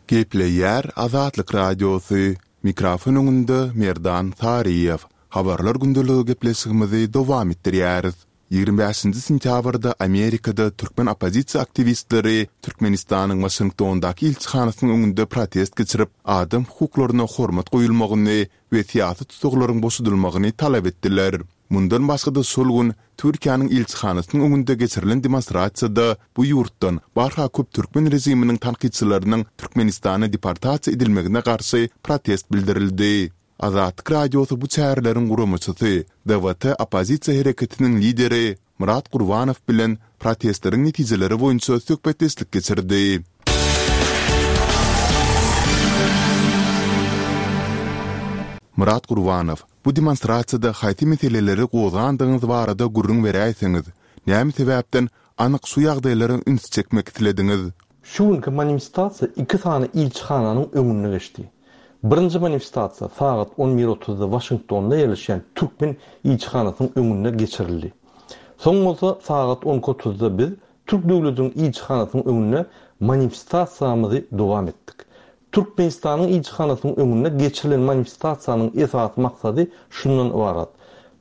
Gepleýär Azatlyk Radiosy, Mikrofon öňünde Merdan Saryýew. Habarlar gündeligi gepleşigimizi dowam etdirýäris. 25-nji sentýabrda Amerikada türkmen oppozisiýa aktiwistleri Türkmenistanyň Waşingtondaky ilçihanasynyň öňünde protest geçirip, adam hukuklaryna hormat goýulmagyny we syýasy tussaglaryň boşadylmagyny talap etdiler. Mundan başga-da şol gün Türkiýäniň ilçihanasynyň öňünde geçirilen demonstrasiýada bu ýurtdan barha köp türkmen režiminiň tankytçylarynyň Türkmenistana deportasiýa edilmegine garşy protest bildirildi. Azatlyk Radiosy bu çäreleriň guramaçysy, DWT oppozisiýa hereketiniň lideri Myrat Gurbanow bilen protestleriň netijeleri boýunça söhbetdeşlik geçirdi. Myrat Gurbanow, Bu demonstrasiýada haýsy meseleleri gozgandygyňyz barada gürrüň beräýseňiz? Näme sebäpden anyk şu ýagdaýlara üns çekmek islediňiz? Şu günki manifestasiýa iki sany ilçihananyň öňünde geçdi. Birinji manifestasiýa sagat on bir otuzda Waşingtonda ýerleşýän türkmen ilçihanasynyň öňünde geçirildi. Soň bolsa sagat on iki otuzda biz türk döwletiniň ilçihanasynyň öňünde manifestasiýamyzy dowam etdik. Türkmenistanyň ilçihanasynyň öňünde geçirilen manifestasiýanyň esasy maksady şundan ybarat,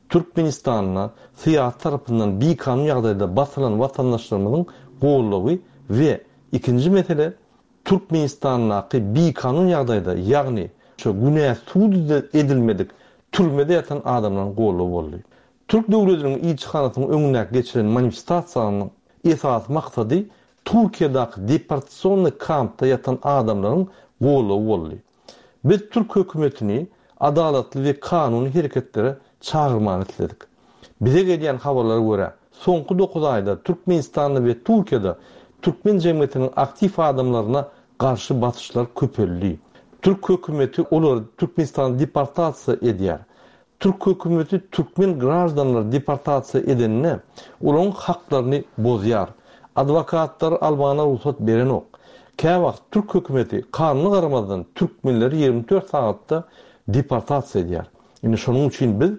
Türkmenistanda syýasy tarapyndan bikanun ýagdaýda basylan watandaşlarymyzyň goldawy we ikinji mesele Türkmenistandaky bikanun ýagdaýda ýagny şu günä sud edilmedik türmede ýatan adamlaryň goldawy boldy. Türk döwletiniň ilçihanasynyň öňündäki geçiren manifestasiýanyň esasy maksady Türkiýedäki deportasionnyý kampda ýatan adamlaryň goldawy boldy. Biz türk hökümetini adalatly we kanuny hereketlere çagyrmagyny isledik. Bize gelýän habarlara görä, soňky dokuz aýda Türkmenistanda we Türkiýede türkmen jemgyýetiniň aktiw adamlaryna garşy basyşlar köpeldi. Türk hökümeti olary Türkmenistana deportasiýa edýär. Türk hökümeti türkmen graždanlary deportasiýa edeninde olaryň haklaryny bozýar. Adwokatlary almagyna rugsat berenok. Käwagt türk hökümeti kanuna garamazdan türkmenleri 24 sagatda deportasiýa edýär. Indi şonuň üçin biz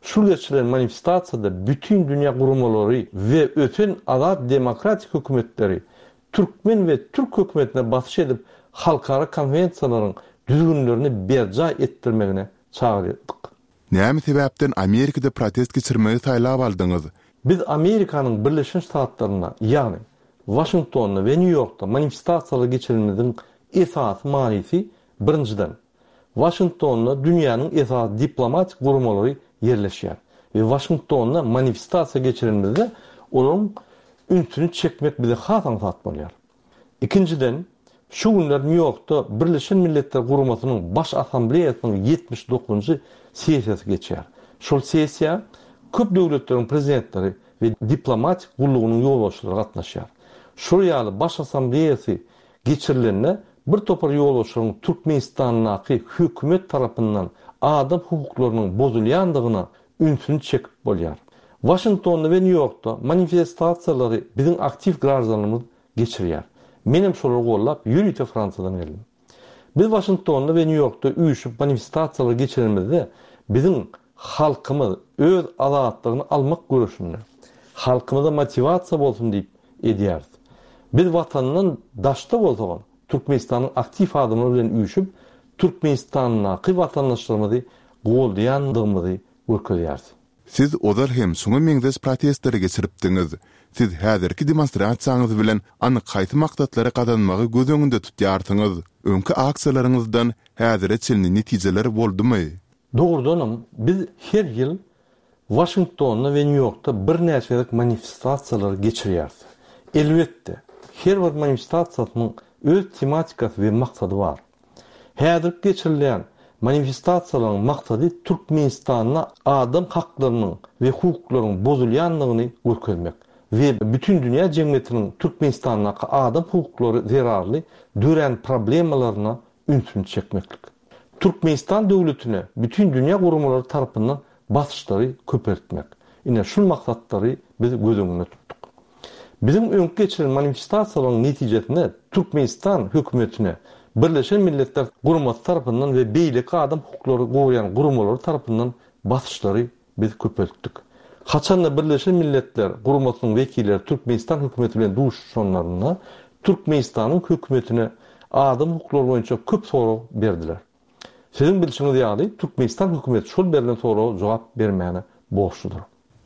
şul geçirilen manifestasiýada bütin dünýä guramalary we ösen azat demokratik hökümetleri türkmen we türk hökümetine basyş edip halkara konwensiýalaryň düzgünlerini berjaý etdirmegine çagyrdyk. Näme sebäpden Amerikada protest geçirmegi saýlap aldyňyz? Biz Amerikanyň Birleşen Ştatlarynda, ýagny Waşingtonda we Nýu-Ýorkda manifestasiýalar geçirenimiziň esasy manysy, birinjiden, Waşingtonda dünýäniň esasy diplomatik guramalary ýerleşýär we Waşingtonda manifestasiýa geçirenimizde olaryň ünsüni çekmek bize has aňsat bolýar. Ikinjiden, şu günler Nýu-Ýorkda Birleşen Milletler Guramasynyň Baş Assambleýasynyň 79-njy sessiýasy geçýär. Şol sessiýa köp döwletleriň prezidentleri we diplomatik gullugynyň ýolbaşçylary gatnaşýar. Şol ýaly Baş Assambleýasy geçirilende bir topar ýolbaşçylaryň Türkmenistandaky hökümet tarapyndan adam hukuklarynyň bozulýandygyna ünsüni çekip bolýar. Waşingtonda we Nýu-Ýorkda manifestasiýalary biziň aktiw graždanlarymyz geçirýär. Menem şolary gollap ýörite Fransiýadan geldim. Biz Waşingtonda we Nýu-Ýorkda üýşüp manifestasiýalary geçirenimizde biziň halkymyz öz azatlygyny almak göreşinde halkymyza motiwasiýa bolsun diýip edýäris. Biz watandan daşda bolsagam Türkmenistanyň aktiw adamlary bilen üýşüp Türkmenistandaky watandaşlarymyzy goldaýandygymyzy görkezýäris. Siz ozal hem şuňa meňzeş protestleri geçiripdiňiz. Siz häzirki demonstrasiýaňyz bilen anyk haýsy maksatlary gazanmagy göz öňünde tutýarsyňyz? Öňki aksiýalaryňyzdan häzire çenli netijeler boldumy? Dogrudanam, biz her ýyl Waşingtonda we Nýu-Ýorkda birnäçe gezek manifestasiýalary geçirýäris. Elbetde, her bir manifestasiýasynyň öz tematikasy we maksady bar. Häzirki geçirilýän manifestasiýalaryň maksady Türkmenistanda adam haklarynyň we hukuklaryň bozulýandygyny görkezmek we bütindünýä jemgyýetiniň Türkmenistandaky adam hukuklary zerarly dörän problemalaryna ünsüni çekmeklik. Türkmenistan döwletine bütin dünýä guramalary tarapyndan basyşlary köpeltmek. Ine şul maksatlary biz göz öňünde tutduk. Biziň öňki geçiren manifestasiýalaryň netijesinde Türkmenistan hökümetine Birleşen Milletler Guramasy tarapyndan we beýleki adam hukuklary goraýan guramalary tarapyndan basyşlary biz köpeltdik. Haçanda Birleşen Milletler Guramasynyň wekilleri Türkmenistan hökümeti bilen duşuşanlarynda Türkmenistanyň hökümetine. adam hukuklary boýunça köp sorag berdiler. Siziň bilşiňiz ýaly, Türkmenistan hökümeti şol berlen soraga jogap bermäne borçludyr.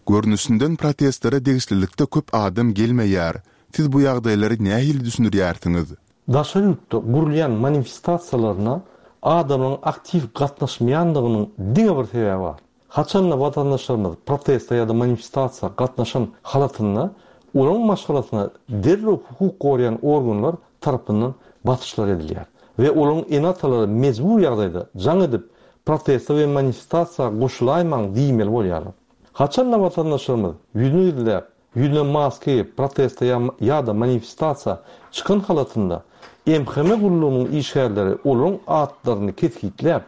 Görnüşinden protestlere degişlilikde köp adam gelmeýär. Siz bu ýagdaýlary nähili düşündirýärsiňiz? Daşary ýurtda gurulýan manifestasiýalaryna adamlaryň aktiw gatnaşmaýandygynyň diňe bir sebäbi bar. Haçanda watandaşlarymyz proteste ýa-da manifestasiýa gatnaşan halatynda olaryň maşgalasyna derrew hukuk goraýan organlar tarapyndan basyşlar edilýär we olaryň ene-atalary mejbur ýagdaýda jaň edip proteste we manifestasiýa goşulaýmaň diýmeli bolýarlar. Haçanda watandaşlarymyz ýüzüni gizläp Ýüzüne maska geýip, proteste ýa-da manifestasiýa çykan halatynda MHM gullugynyň işgärleri olaryň atlaryny kesgitläp,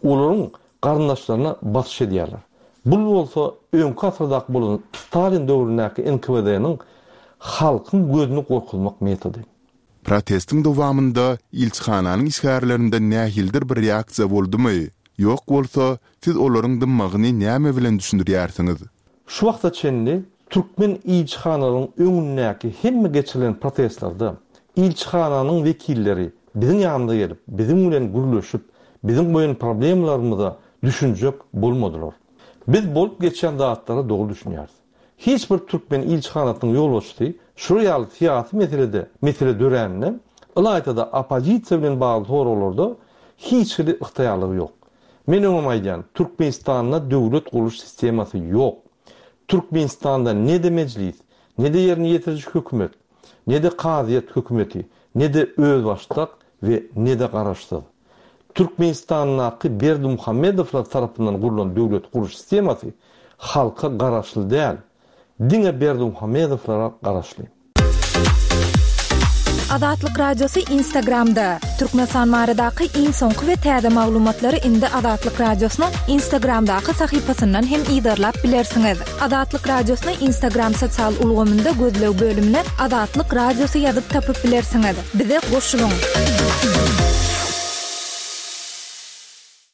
olaryň garyndaşlaryna basyş edýärler. Bul bolsa öňki asyrdaky bolan Stalin döwründäki NKWD-niň halkyň gözüni gorkuzmak metody. Protestiň dowamynda ilçihananyň işgärlerinden nähilidir bir reaksiýa boldumy? Ýok bolsa, siz olaryň dymmagyny näme bilen düşündirýärsiňiz? Şu wagta çenli türkmen ilçihanalaryň öňündäki hemme geçirilen protestlerde ilçihananyň wekilleri biziň ýanymyza gelip, biziň bilen gürleşip, biziň goýan problemalarymyza düşünjek bolmadylar. Biz bolup geçýän zatlara dogry düşünýäris. Hiç bir türkmen ilçihanasynyň ýolbaşçysy şular ýaly syýasy meselede mesele dörände, ylaýta-da oppozisiýa bilen bagly soraglarda hiç hili ygtyýarlygy ýok. Men öňem aýdýan, Türkmenistanda döwlet gurluş sistemasy ýok. Türkmenistanda ne-de mejlis, ne-de ýerine ýetiriji hökümet, ne-de kazyýet hökümeti, ne-de özbaşdak we ne-de garaşsyz. Türkmenistandaky Berdimuhamedowlar tarapyndan gurlan döwlet gurluş sistemasy halka garaşly däl, diňe Berdimuhamedowlara garaşly. Azatlyk Radiosy Instagramda, Türkmenistan baradaky iň soňky we täze maglumatlary indi Azatlyk Radiosynyň Instagramdaky sahypasyndan hem yzarlap bilersiňiz. Azatlyk Radiosyny Instagram sosial ulgamynda gözleg bölümine Azatlyk Radiosy ýazyp tapyp bilersiňiz. Bize goşulyň!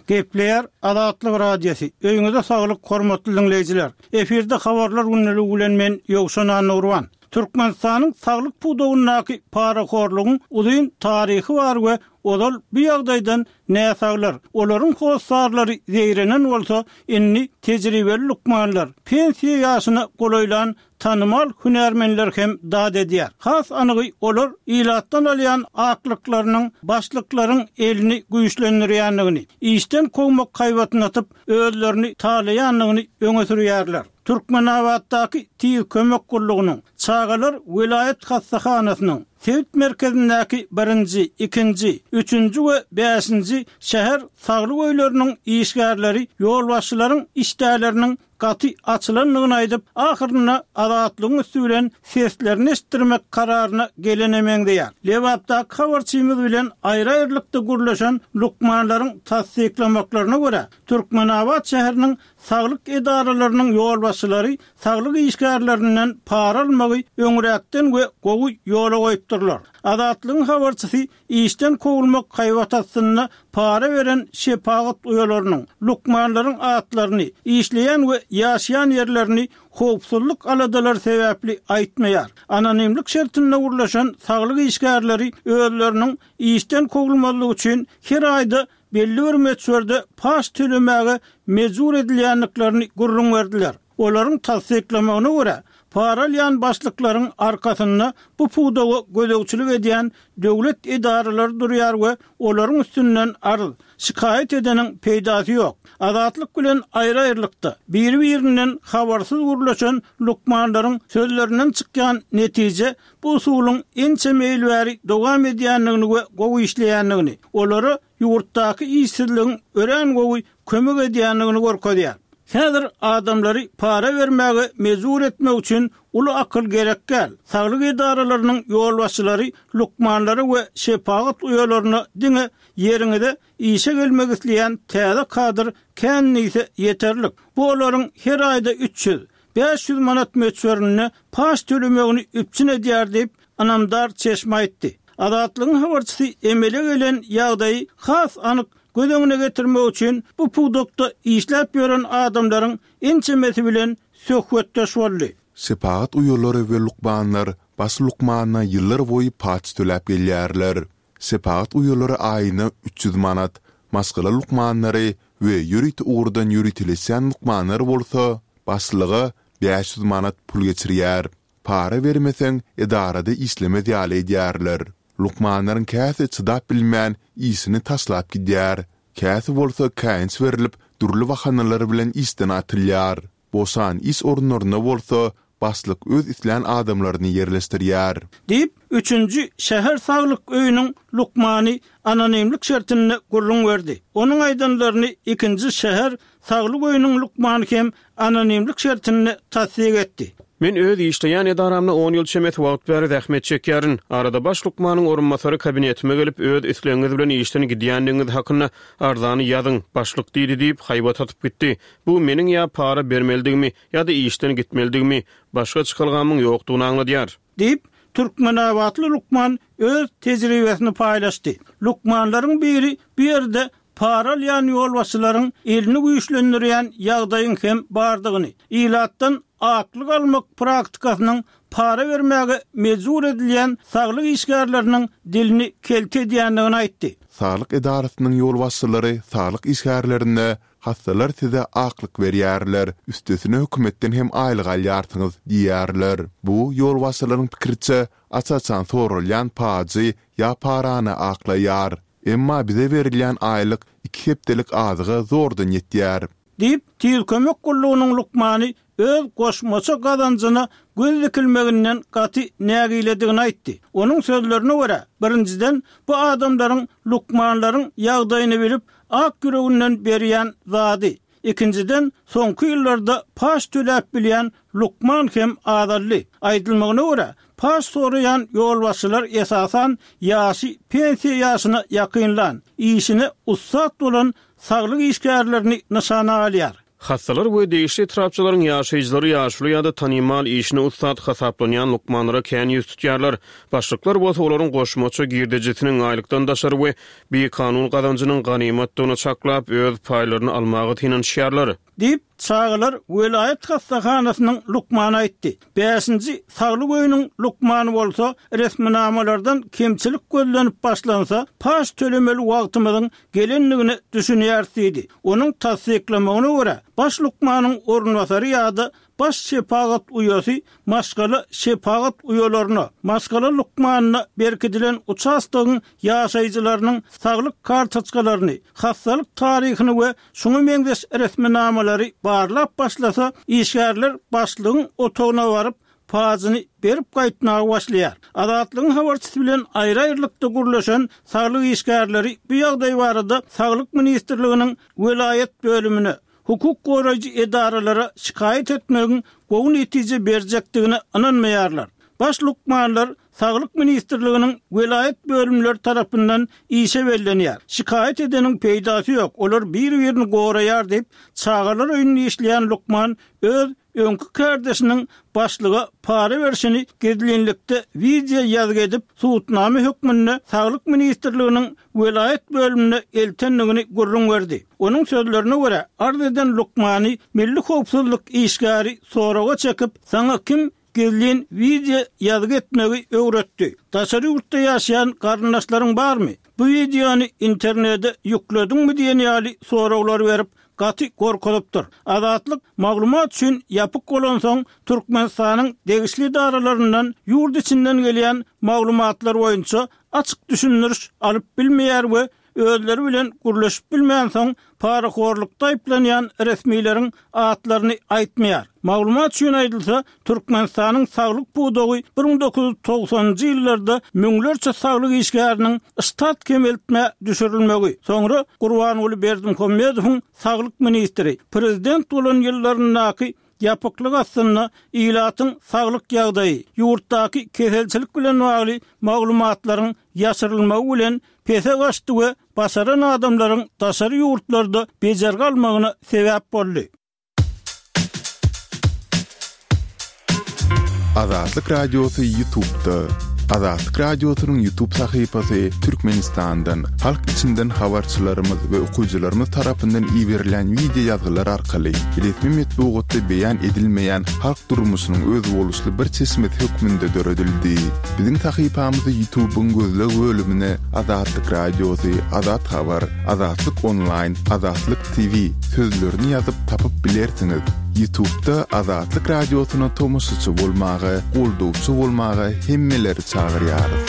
Gepleýär Azatlyk Radiosy, Öýüňize saglyk hormatly diňleýjiler! Efirde habarlar gündeligi bilen men Ýowşan Annagurban. Türkmenistanyň saglyk pudagyndaky parahorlugyň uzyn taryhy bar we ozal bu ýagdaýdan näsaglar, olaryň hossarlary zeýrenen bolsa, indi tejribeli lukmanlar, pensiýa ýaşyna golaýlan tanymal hünärmenler hem dat edýär. Has anygy, olar ilatdan alýan aklyklarynyň başlyklaryň elini güýçlendirýändigini, işden kowmak haýbatyny atyp, özlerini talaýandygyny öňe sürýärler. Türkmenabatdaky Tiz kömek gullugynyň, Çagalar welaýat hassahanasynyň, sebit merkezindäki birinji, ikinji, üçünji we bäşinji şäher saglyk öýleriniň işgärleri ýolbaşçylaryň işdäleriniň gaty açylandygyny aýdyp, ahyrynda Azatlygyň üsti bilen seslerini eşitdirmek kararyna gelene meňzeýär. Lebapdaky habarçymyz bilen aýry-aýrylykda gürleşen lukmanlaryň tassyklamaklaryna görä, Türkmenabat şäheriniň saglyk edaralarynyň ýolbaşçylary saglyk işgärlerinden para almagy öňräkden we gowy ýola goýupdyrlar. Azatlygyň habarçysy Işden kowulmak haýbat astynda para beren şepagat uýalarynyň, lukmanlaryň atlaryny, işleýän we ýaşaýan ýerlerini howpsuzlyk aladalary sebäpli aýtmaýar. Anonimlik şertinde gürleşen saglyk işgärleri özleriniň işden kowulmazlygy üçin her aýda belli bir möçberde paç tölemäge mejbur edilýändiklerini gürrüň berdiler. Olaryň tassyklamagyna görä, para alýan başlyklaryň arkasynda bu pudaga gözegçilik edýän döwlet edaralary durýar we olaryň üstünden arz, şikaýat edeniň peýdasy ýok. Azatlyk bilen aýry-aýrylykda, biri-birinden habarsyz gürleşen lukmanlaryň sözlerinden çykýan netije bu usulyň ençeme ýyl bäri dowam edýändigini we gowy işleýändigini, olara ýurtdaky işsizligiň örän gowy kömek edýändigini görkezýär. Häzir adamlary para bermäge mejbur etmek üçin uly akyl gerek däl. Saglyk edaralarynyň ýolbaşçylary lukmanlara we şepagat uýalaryna diňe ýeriňize işe gelmek isleýän täze kadr kän diýse ýeterlik. Bu olaryň her aýda 300, 500 manat möçberinde paç tölemegini üpjün edýär diýip, ynamdar çeşme aýtdy. Azatlygyň habarçysy emele gelen ýagdaýy has anyk göz öňüne getirmek üçin bu pudakda işläp ýören adamlaryň ençemesi bilen söhbetdeş boldy. Şepagat uýalary we lukmanlar baş lukmana ýyllar boýy paç töläp gelýärler. Şepagat uýalary aýyna 300 manat, maşgala lukmanlary we ýörite ugurdan ýöriteleşýän lukmanlar bolsa başlyga 500 manat pul geçirýär. Para bermeseň, edarada işlemez ýaly edýärler. Lukmanlaryň käsi çydap bilmän, işini taşlap gidýär. Käsi bolsa käýinç berlip, dürli bahanalar bilen işden atylýar. Boşan iş orunlaryna bolsa başlyk öz islän adamlaryny ýerleşdirýär. Diýip, üçünji şäher saglyk öýüniň lukmany anonimlik şertinde gürrüň berdi. Onuň aýdanlaryny ikinji şäher saglyk öýüniň lukmany hem anonimlik şertinde tassyk etdi. Men öz işleýän edaramda on ýyl çemesi wagt bäri zähmet çekýärin. Arada baş lukmanyň orunbasary kabinetime gelip, öz islegiňiz bilen işden gidýändigiňiz hakynda arzany ýazyň, başlyk diýdi diýip, haýbat atyp gitdi. Bu meniň ýa para bermelidigimi, ýa-da işden gitmelidigimi, başga çykalgamyň ýokdugyny aňladýar. Diýip, türkmenabatly lukman öz tejribesini paýlaşdy. Lukmanlaryň biri bu ýerde para alýan ýolbaşçylaryň elini güýçlendirýän ýagdaýyň hem bardygyny, ilatdan aklyk almak praktikasynyň para bermäge mejbur edilýän saglyk işgärleriniň dilini kelte edýändigini aýtdy. Saglyk edarasynyň ýolbaşçylary saglyk işgärlerine Hassalar size aklyk berýärler, üstesine hökümetden hem aýlyk alýarsyňyz diýýärler. Bu, ýolbaşçylaryň pikiriçe, aç-açan soralýan pajy ýa parany aklaýar. Emma bize berilýän aýlyk iki hepdelik azyga zordan ýetýär. Diýip, Tiz kömek gullugynyň lukmany öz goşmaça gazanjyna göz dikilmeginden gaty nägiledigini aýtdy. Onuň sözlerine görä, birinjiden, bu adamlaryň lukmanlaryň ýagdaýyny bilip, ak ýüreginden berýän zady, ikinjiden, soňky ýyllarda paç töläp bilýän lukman hem azaldy. Aýdylmagyna görä, paç soraýan ýolbaşçylar esasan ýaşy pensiýa ýaşyna ýakynlan, işine ussat bolan saglyk işgärlerini nyşana alýar. Hassalar we degişli etrapçalaryň ýaşaýjylary ýaşuly ýa-da tanymal, işine ussat hasaplanýan lukmanlara kän ýüz tutýarlar. Başlyklar bolsa olaryň goşmaça girdejisiniň, aýlykdan daşary we bikanun gazanjynyň ganymatdygyny çaklap, öz paýlaryny almaga synanyşýarlar. Diýip, çagalar welaýat hassahanasynyň lukmany aýtdy. Bäşinji saglyk öýüniň lukmany bolsa, resminamalardan kemçilik gözlenip başlansa, paç tölemeli wagtymyzyň gelendigine düşünýäris diýdi. Onuň tassyklamagyna görä, baş lukmanyň orunbasary ýa-da baş şepagat uýasy maşgala şepagat uýalaryna, maşgala lukmanyna berkidilen uçastogyň ýaşaýjylarynyň saglyk kartoçkalaryny, hassalyk taryhyny we şuňa meňzeş resminamalary barlap başlasa, işgärler başlygyň otagyna baryp, pajyny berip gaýtmaga başlaýar. Azatlygyň habarçysy bilen aýry-aýrylykda gürleşen saglyk işgärleri bu ýagdaý barada Saglyk ministrliginiň welaýat bölümine, hukuk goraýjy edaralara şikaýat etmegiň gowy netije berjekdigine ynanmaýarlar. Baş lukmanlar Saglyk ministrliginiň welaýat bölümleri tarapyndan işe bellenýär. Şikaýat edeniň peýdasy ýok, olar bir-birini goraýar diýip, çagalar öýünde işleýän lukman öz öňki kärdeşiniň başlyga para berşini gizlinlikde wideo ýazgy edip, subutnama hökmünde Saglyk ministrliginiň welaýat bölümine eltendigini gürrüň berdi. Onuň sözlerine görä, arz eden lukmany milli howpsuzlyk işgäri soraga çekip, Saňa kim gizlin wideo ýazgy etmegi öwretdi? Daşary ýurtda ýaşaýan garyndaşlaryň barmy? Bu wideony internede ýüklediňmi diýen ýaly soraglary berip, gaty gorkuzypdyr. Azatlyk maglumat üçin ýapyk bolansoň, Türkmenistanyň degişli edaralaryndan ýurt içinden gelýän maglumatlar boýunça açyk düşündiriş alyp bilmeýär we özleri bilen gürleşip bilmänsoň, parahorlukda aýyplanýan resmileriň atlaryny aýtmaýar. Maglumat üçin aýdylsa, Türkmenistanyň saglyk pudagy 1990-njy ýyllarda müňlerçe saglyk işgäriniň ştat kemeltmä düşürilmegi, soňra Gurbanguly Berdimuhamedowyň saglyk ministri, prezident bolan ýyllaryndaky ýapyklyk astynda ilatyň saglyk ýagdaýy, ýurtdaky keselçilik bilen bagly maglumatlaryň ýaşyrylmagy bilen pese gaçdy we başaran adamlaryň daşary ýurtlarda bejergi almagyna sebäp boldy. Azatlyk Radiosy Ýutubda. Azatlyk Radiosynyň YouTube sahypasy Türkmenistandan, halk içinden habarçylarymyz we okyjylarymyz tarapyndan iberilýän wideo ýazgylar arkaly resmi metbugatda beýan edilmeýän halk durmuşynyň özboluşly bir çeşmesi hökmünde döredildi. Biziň sahypamyzy YouTube-yň gözleg bölümine Azatlyk Radiosy, Azat Habar, Azatlyk Onlaýn, Azatlyk TV sözlerini ýazyp tapyp bilersiňiz. Ýutubda Azatlyk Radiosyna tomaşaçy bolmaga, goldawçy bolmaga hemmeleri çagyrýarys.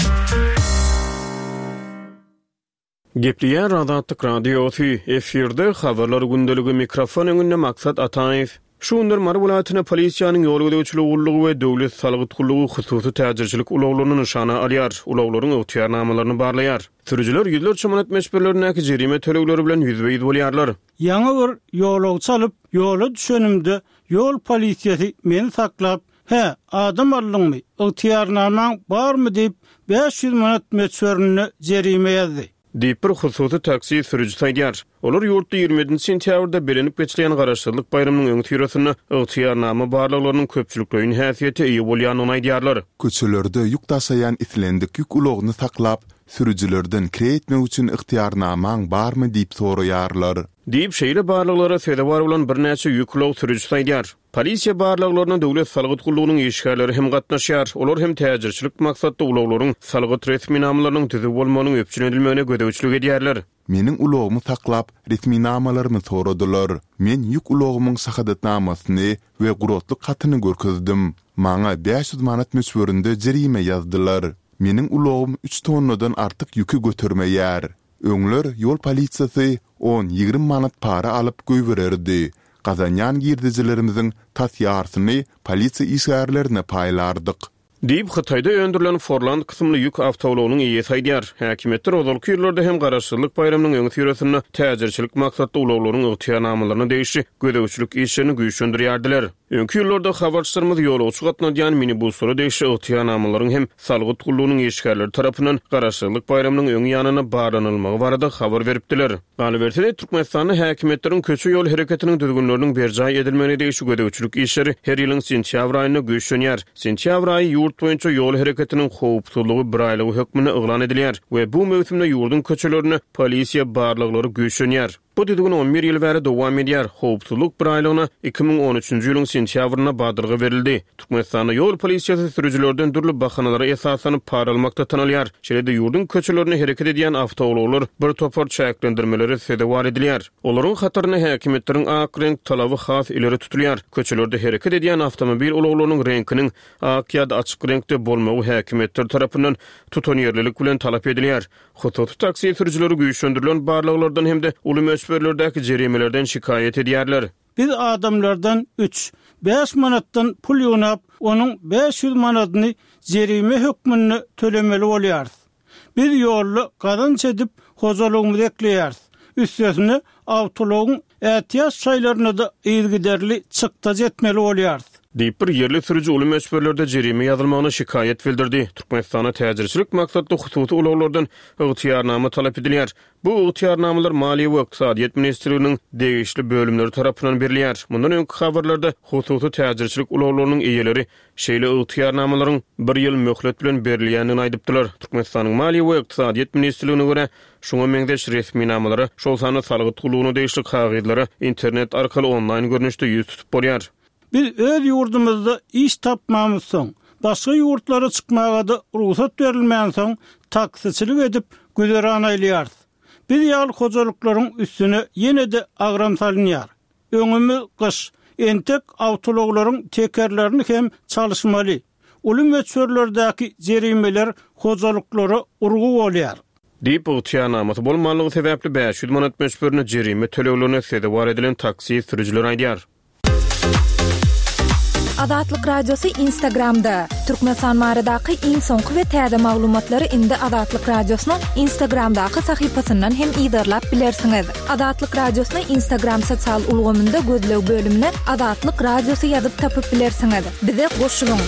Gepleýär Azatlyk Radiosy, efirde Habarlar gündeligi, mikrofon öňünde Maksat Ataýew. Şu günler Mary welaýatynda polisiýanyň ýol gözegçiligi gullugy we döwlet salgyt gullugy hususy täjirçilik ulaglaryny nyşana alýar, ulaglaryň ygtyýarnamalaryny barlaýar. Sürüjiler ýüzlerçe manat möçberlerindäki jerime tölegleri bilen ýüzbe-ýüz bolýarlar. Ýaňy bir ýolagçy alyp, ýola düşenimde, ýol polisiýasy meni saklap, Hä, adam aldyňmy, ygtyýarnamaň barmy diýip, 500 manat möçberinde jerime ýazdy. Diýip, bir hususy taksi sürüjisi aýdýar. Olar ýurtda 27 nji sentýabrda bellenip geçilýän Garaşsyzlyk baýramynyň öňüsyrasynda ygtyýarnama barlaglarynyň köpçülikleýin häsiýete eýe bolýandygyny aýdýarlar. Köçelerde ýük daşaýan islendik ýük ulagyny saklap, sürüjilerden kireý etmek üçin ygtyýarnamaň barmy diýip soraýarlar. Diýip, şeýle barlaglara sezewar bolan birnäçe ýük ulag sürüjisi aýdýar. Polisiýa barlaglaryna Döwlet salgyt gullugynyň işgärleri hem gatnaşýar. Olar hem täjirçilik maksatly ulaglaryň salgyt resminamalarynyň düzüw bolmagynyň üpjün edilmegine gözegçilik edýärler. Meniň ulagymy saklap, resminamalarymy soradylar. Men ýük ulagymyň şahadatnamasyny we guratlyk hatyny görkezdim. Maňa 500 manat möçberinde jerime ýazdylar. Meniň ulagym üç tonnadan artyk ýüki götermeýär. Öňler ýol polisiýasy on-ýigrimi manat para alyp goýbererdi. Gazanýan girdejilerimiziň tas ýarsyny polisiýa işgärlerine paýlardyk. Diýip, Hytaýda öndürilen Forland kysymly ýük awtoulagynyň eýesi aýdýar. Häkimiýetler ozalky ýyllarda hem Garaşsyzlyk baýramynyň öňüsyrasynda täjirçilik maksatly ulaglaryň ygtyýarnamalaryna degişli gözegçilik işlerini güýçlendirýärdiler. Öňki ýyllarda habarçylarymyz ýolagçy gatnadýan minibuslara degişli ygtyýarnamalaryň hem salgyt gullugynyň işgärleri tarapyndan Garaşsyzlyk baýramynyň öň ýanynda barlanylmagy barada habar beripdiler. Galyberse-de, Türkmenistanda häkimiýetleriň köçe-ýol hereketiniň düzgünleriniň berjaý edilmegine degişli gözegçilik işleri her ýylyň sentýabr aýynda güýçlenýär. Sentýabr aýy ýurt boýunça ýol hereketiniň howpsuzlygy biraýlygy hökmünde yglan edilýär we bu möwsümde ýurduň köçelerinde polisiýa barlaglary güýçlenýär. Bu düzgün on bir ýyl bäri dowam edýär. Howpsuzlyk biraýlygyna 2013-nji ýylyň sentýabrynda badalga berildi. Türkmenistanda ýol polisiýasy sürüjilerden dürli bahanalara esaslanyp para almakda tanalýar. Şeýle-de ýurduň köçelerinde hereket edýän awtoulaglar bir topar çäklendirmelere sezewar edilýär. Olaryň hatarynda häkimiýetleriň ak reňk talaby has ileri tutulýar. Köçelerde hereket edýän awtomobil ulaglarynyň reňkiniň ak ýa-da açyk reňkde bolmagy häkimiýetler tarapyndan tutanýerlilik bilen talap edilýär. Hususy taksi sürüjileri güýçlendirilen barlaglardan hem-de uly möçberlerdäki jerimelerden şikaýat edýärler. Biz adamlardan üç, bäş manatdan pul ýygnap, onuň 500 manadyny jerime hökmünde tölemeli bolýarys. Biz ýolda gazanç edip, hojalygymyzy ekleýäris. Üstesine, awtoulagyň ätiýaç şaýlaryna-da yzygiderli çykdajy etmeli bolýarys. Diýip, bir ýerli sürüji uly möçberlerde jerime ýazylmagyna şikaýat bildirdi. Türkmenistanda täjirçilik maksatly hususy ulaglardan ygtyýarnama talap edilýär. Bu ygtyýarnamalar Maliýe we ykdysadyýet ministrliginiň degişli bölümleri tarapyndan berilýär. Mundan öňki habarlarda hususy täjirçilik ulaglarynyň eýeleri şeýle ygtyýarnamalaryň bir ýyl möhlet bilen berilýändigini aýdypdylar. Türkmenistanyň Maliýe we ykdysadyýet ministrligine görä, şuňa meňzeş resminamalara, şol sanda salgyt gullugyna degişli kagyzlara internet arkaly onlaýn görnüşde ýüz tutup bolýar. Biz öz ýurdumyzda iş tapmamyzsoň, başga ýurtlara çykmaga-da rugsat berilmänsoň, taksiçilik edip güzeran aýlaýarys. Biz ýaly hojalyklaryň üstüne ýene-de agram salynýar. Öňümiz gyş. Entek awtoulaglaryň tekerlerini hem çalyşmaly. Uly möçberlerdäki jerimeler hojalyklara urgy bolýar. Diýip, ygtyýarnamasy bolmanlygy sebäpli 500 manat möçberinde jerime töleglerine sezewar edilen taksi sürüjileri aýdýar. Azatlyk Radiosy Instagramda, Türkmenistan baradaky iň soňky we täze maglumatlary indi Azatlyk Radiosynyň Instagramdaky sahypasyndan hem yzarlap bilersiňiz. Azatlyk Radiosyny Instagram sosial ulgamynda gözleg bölümine Azatlyk Radiosy ýazyp tapyp bilersiňiz. Bize goşulyň!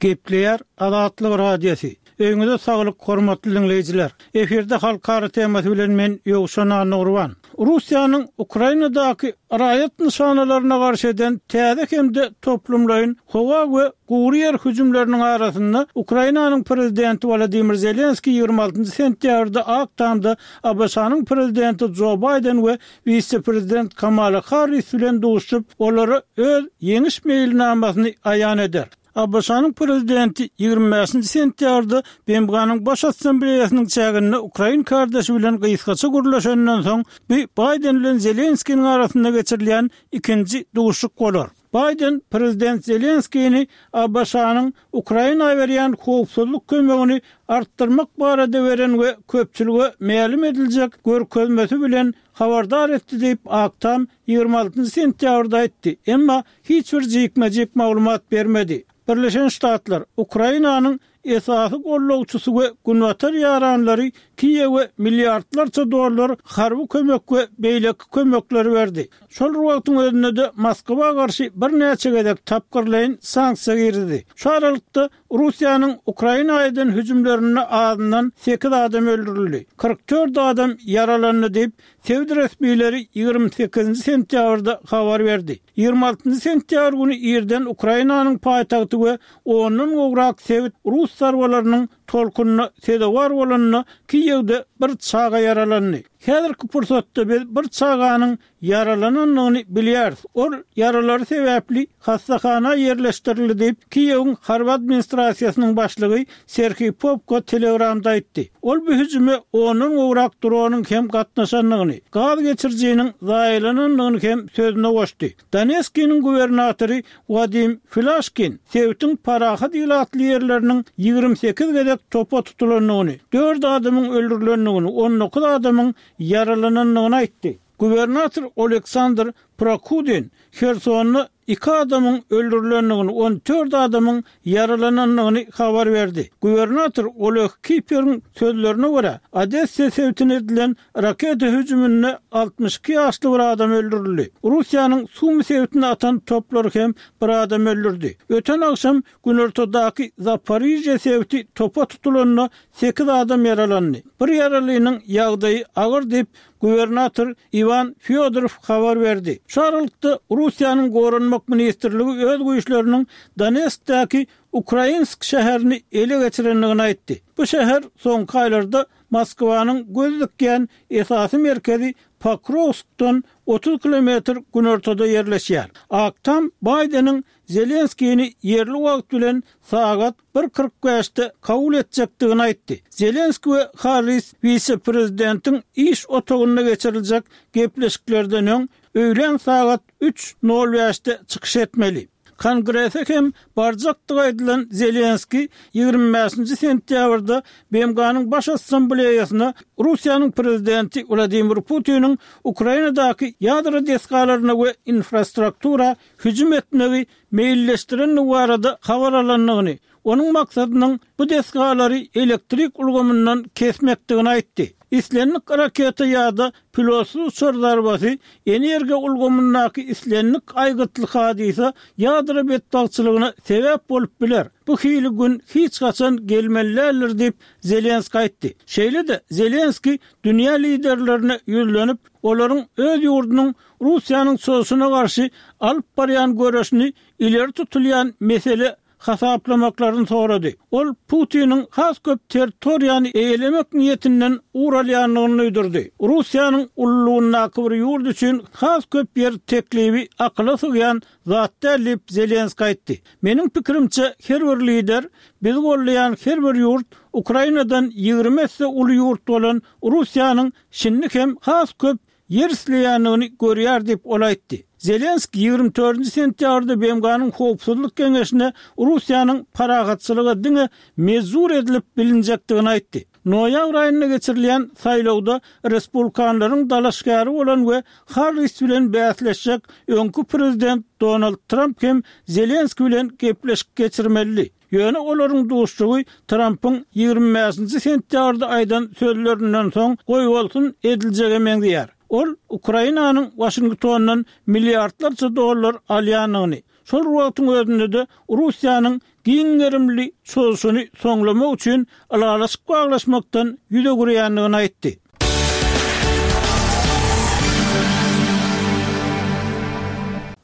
Gepleýär Azatlyk Radiosy. Öýüňize saglyk, hormatly diňleýjiler! Efirde Halkara temasy bilen men Ýowşan Annagurban. Russiýanyň Ukrainadaky raýat nyşanalaryna garşy eden täze hem-de toplumlaýyn howa we gury ýer hüjümleriniň arasynda Ukrainanyň Prezidenti Wolodymyr Zelenskiý 26 sentýabrda Ak Tamda ABŞ-nyň Prezidenti Jo Baýden we wise-prezident Kamala Harris bilen duşuşyp, olara öz ýeňiş meýilnamasyny aýan eder. ABŞ-nyň Prezidenti 25-nji sentýabrda BMG-niň Baş Assambleýasynyň çäginde ukrain kardeşi bilen gysgaça gürleşenden soň, bu Baýden bilen Zelenskiniň arasynda geçirilýän ikinji duşuşyk bolar. Baýden prezident Zelenskini ABŞ-nyň Ukraina berýän howpsuzlyk kömegini artdyrmak barada beren we köpçülige mälim ediljek görkezmesi bilen habardar etdi diýip, Ak Tam 26 sentýabrda aýtdy, emma hiç bir jikme-jik maglumat bermedi. Birleşen Ştatlar Ukrainanyň esasy gollawçysy we günbatar ýaranlary Kiýewe milliardlarça dollar harby kömek we beýleki kömekleri berdi. Şol bir wagtyň özünde-de Moskwa garşy birnäçe gezek tapgyrlaýyn sanksiýa girizdi. Şu aralykda, Russiýanyň Ukraina eden hüjümlerinde azyndan sekiz adam öldürildi, 44 adam ýaralandy diýip, sebit resmileri 28 sentýabrda habar berdi. 26 sentýabr güni irden Ukrainanyň paýtagty we ondan gowrak sebit rus zarbalarynyň tolkunyna sezewar bolanda, Kiýewde bir çaga ýaralandy. Häzirki pursatda biz bir çaganyň ýaralanandygyny bilýäris. Ol ýaralary sebäpli hassahana ýerleşdirildi diýip, Kiýewiň harby administrasiýasynyň başlygy Serhiý Popko Telegramda aýtdy. Ol bu hüjüme ondan gowrak dronyň hem gatnaşandygyny, gaz geçirijiniň zaýalanandygyny hem sözüne goşdy. Donetskiniň gubernatory Wadim Filaşkin sebitiň parahat ilatly ýerleriniň 28 gezek topa tutulandygyny, dört adamyň öldürilendigini, 19 adamyň ýaralanandygyny aýtdy. Gubernator Oleksandr Prokudin Hersonda iki adamyň öldürilendigini, 14 adamyň ýaralanandygyny habar berdi. Gubernator Oleg Kiperiň sözlerine görä, Odessa sebitine edilen raketa hüjüminde 62 ýaşly bir adam öldürildi. Russiýanyň Sumy sebitine atan toplary hem bir adam öldürdi. Öten agşam günortadaky Zaporižýa sebiti topa tutulanda sekiz adam ýaralandy. Bir ýaralynyň ýagdaýy agyr diýip, gubernator Iwan Fýodorow habar berdi. Şu aralykda, Russiýanyň Goranmak ministrligi öz güýçleriniň Donetskdäki Ukrainsk şäherini ele geçirendigini aýtdy. Bu şäher soňky aýlarda Moskwanyň göz dikýän esasy merkezi Pokrowskdan 30 kilometr günortada ýerleşýär. Ak Tam Baýdeniň Zelenskini ýerli wagt bilen sagat bir 45-de kabul etjekdigini aýtdy. Zelenski we Harris wise-prezidentiň iş otagynda geçiriljek gepleşiklerden öň öýlän sagat üç nol bäşde çykyş etmeli. Kongrese hem barjakdygy aýdylan Zelenski 25-nji sentýabrda BMG-niň Baş Assambleýasyna Russiýanyň prezidenti Wladimir Putiniň Ukrainadaky ýadro desgalaryna we infrastruktura hüjüm etmegi meýilleşdirendigi barada habar alandygyny, onuň maksadynyň bu desgalary elektrik ulgamyndan kesmekdigini aýtdy. Islendik raketa ýa-da pilotsyz uçar zarbasy energiýa ulgamyndaky islendik aýgytly hadysa ýadro betbagtçylygyna sebäp bolup biler. Bu hili gün hiç haçan gelmeli däldir diýip, Zelenskiý aýtdy. Şeýle-de Zelenskiý dünýä liderlerine ýüzlenip, olaryň öz ýurdunyň Russiýanyň çozuşyna garşy alyp barýan göreşini ileri tutulýan mesele hasaplamaklaryny sorady. Ol Putiniň has köp territoriýany eýelemek niýetinden ugur alýandygyny duýdurdy. Russiýanyň ululygyndaky bir ýurt üçin has köp ýer teklibi akyla sygýan zat däl diýip, Zelenskiý aýtdy. Meniň pikirimçe, her bir lider, bizi goldaýan her bir ýurt Ukrainadan 20 esse uly ýurt bolan Russiýanyň şindi hem has köp ýer isleýändigini görýär diýip, ol aýtdy. Zelenskiý 24-nji sentýabrda BMG-niň Howpsuzlyk Geňeşine Russiýanyň parahatçylyga diňe mejbur edilip bilinjekdigini aýtdy. Noýabr aýynda geçirilýän saýlawda respublikanlaryň dalaşgäri bolan we Harris bilen bäsleşjek öňki prezident Donald Tramp hem Zelenskiý bilen gepleşik geçirmelidi. Ýöne olaryň duşuşygy Trampyň 25-nji sentýabrda aýdan sözlerinden soň goýbolsun ediljege meňzeýär. Ol Ukrainanyň Waşingtondan milliardlarça dollar alýandygyny, şol bir wagtyň özünde-de Russiýanyň giň gerimli çozuşyny soňlamak üçin ylalaşyk baglaşmakdan ýüz öwürýändigini aýtdy.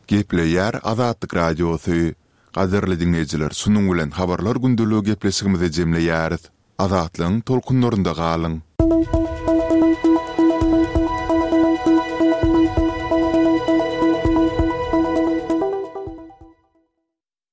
Gepleýär Azatlyk Radiosy. Gadyrly diňleýjiler şunuň bilen Habarlar gündeligi gepleşigimizi jemleýäris. Azatlygyň tolkunlarynda galyň!